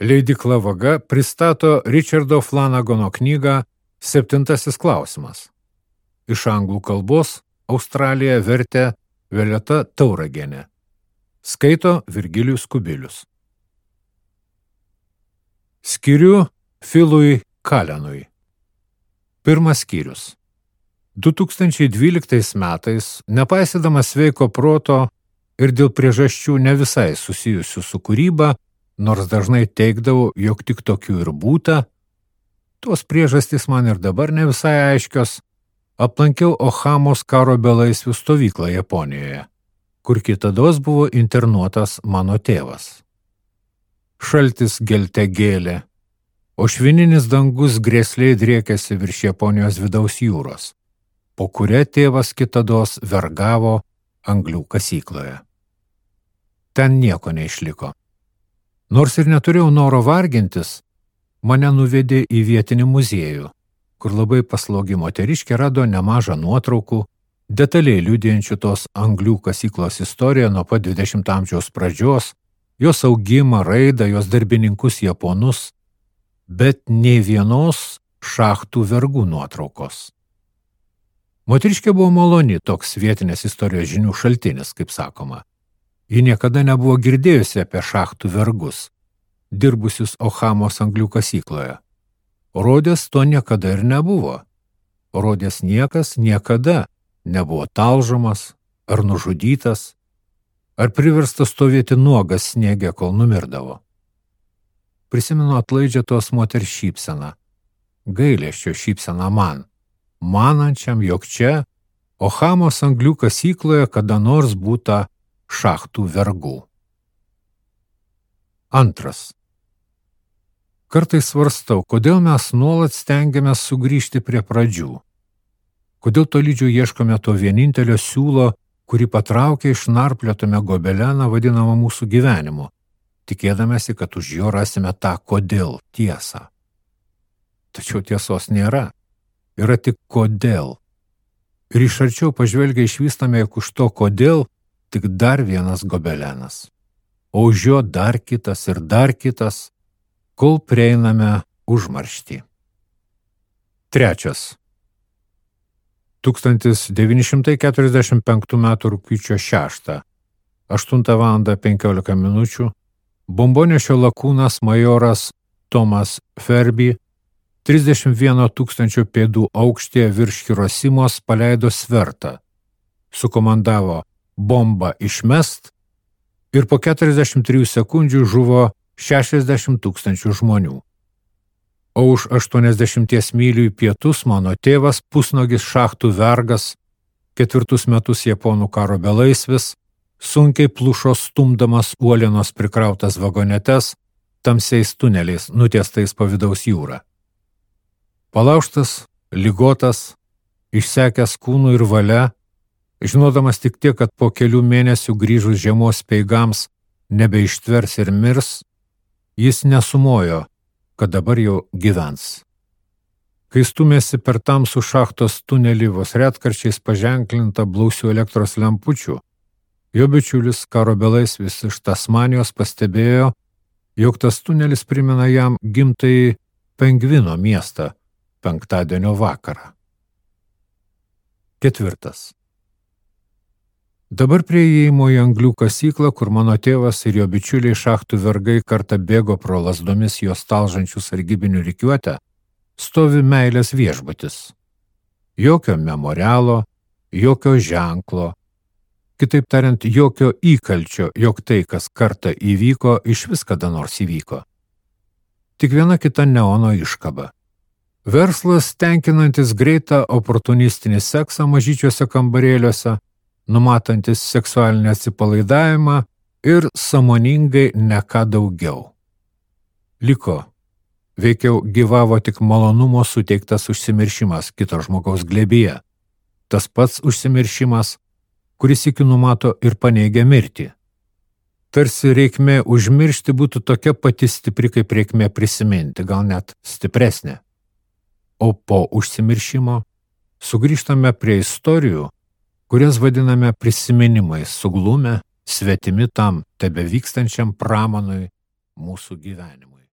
Leidykla Vaga pristato Richardo Flanagano knygą Septintasis klausimas. Iš anglų kalbos Australiją vertė Violeta Tauragienė. Skaito Virgilijus Kubilius. Skiriu Philui Kalenui. Pirmas skyrius. 2012 metais, nepaisydamas sveiko proto ir dėl priežasčių ne visai susijusių su kūryba, nors dažnai teigdavau, jog tik tokių ir būta, tos priežastys man ir dabar ne visai aiškios, aplankiau Ohamos karo belaisvių stovyklą Japonijoje, kur kitados buvo internuotas mano tėvas. Šaltis gelte gėlė, o švininis dangus grėsliai driekėsi virš Japonijos vidaus jūros, po kuria tėvas kitados vergavo anglių kasykloje. Ten nieko neišliko. Nors ir neturėjau noro vargintis, mane nuvedė į vietinį muziejų, kur labai paslogi moteriškė rado nemažą nuotraukų, detaliai liudijančių tos anglių kasyklos istoriją nuo pat 20 amžiaus pradžios, jos augimą, raidą, jos darbininkus japonus, bet nei vienos šachtų vergų nuotraukos. Moteriškė buvo maloni, toks vietinės istorijos žinių šaltinis, kaip sakoma. Ji niekada nebuvo girdėjusi apie šachtų vergus, dirbusius Ohamos anglių kasykloje. Rodės to niekada ir nebuvo. Rodės niekas niekada nebuvo talžomas ar nužudytas, ar priverstas stovėti nuogas sniege, kol numirdavo. Prisimenu atlaidžią tos moters šypseną, gailesčio šypseną man, manančiam, jog čia, Ohamos anglių kasykloje, kada nors būta šachtų vergų. Antras. Kartais svarstau, kodėl mes nuolat stengiamės sugrįžti prie pradžių. Kodėl tolydžio ieškome to vienintelio siūlo, kurį patraukia išnarplėtame gobeleną vadinamą mūsų gyvenimu, tikėdamėsi, kad už jo rasime tą kodėl tiesą. Tačiau tiesos nėra. Yra tik kodėl. Ir iš arčiau pažvelgia išvystame, jog už to kodėl tik dar vienas gobelenas, o už jo dar kitas ir dar kitas, kol prieiname užmarštį. Trečias. 1945 m. rugpjūčio 6, 8:15 min. Bombonešio lakūnas majoras Thomas Ferby 31 000 pėdų aukštyje virš Hirosimos paleido svertą, sukomandavo bombą išmest ir po 43 sekundžių žuvo 60 000 žmonių. O už 80 mylių į pietus mano tėvas, pusnogis šachtų vergas, 4 metus Japonų karo belaisvis, sunkiai plušo stumdamas uolienos prikrautas vagonetes tamsiais tuneliais nutiestais po vidaus jūrą. Palaužtas, ligotas, išsekęs kūnų ir valia, žinodamas tik tiek, kad po kelių mėnesių grįžus žiemos speigams nebeištvers ir mirs, jis nesumojo, kad dabar jau gyvens. Kai stumėsi per tamsų šachtos tunelį vos retkarčiais paženklinta blausių elektros lempučių, jo bičiulis karo belaisvis iš Tasmanijos pastebėjo, jog tas tunelis primena jam gimtąjį Pengvino miestą penktadienio vakarą. Ketvirtas. Dabar prie įėjimo į anglių kasyklą, kur mano tėvas ir jo bičiuliai šachtų vergai kartą bėgo pro lazdomis jos talžančių sargybinių rikiuotę, stovi meilės viešbutis. Jokio memorialo, jokio ženklo, kitaip tariant, jokio įkalčio, jog tai, kas kartą įvyko, išvis kada nors įvyko. Tik viena kita neono iškaba. Verslas tenkinantis greitą oportunistinį seksą mažyčiuose kambarėliuose, numatantis seksualinį atsipalaidavimą ir sąmoningai ne ką daugiau. Liko, veikiau gyvavo tik malonumo suteiktas užsimiršimas kito žmogaus glėbyje. Tas pats užsimiršimas, kuris iki numato ir paneigia mirtį. Tarsi reikmė užmiršti būtų tokia pati stipri, kaip reikmė prisiminti, gal net stipresnė. O po užsimiršimo sugrįžtame prie istorijų, kurias vadiname prisiminimais, suglumę, svetimi tam tebevykstančiam pramanui mūsų gyvenimui.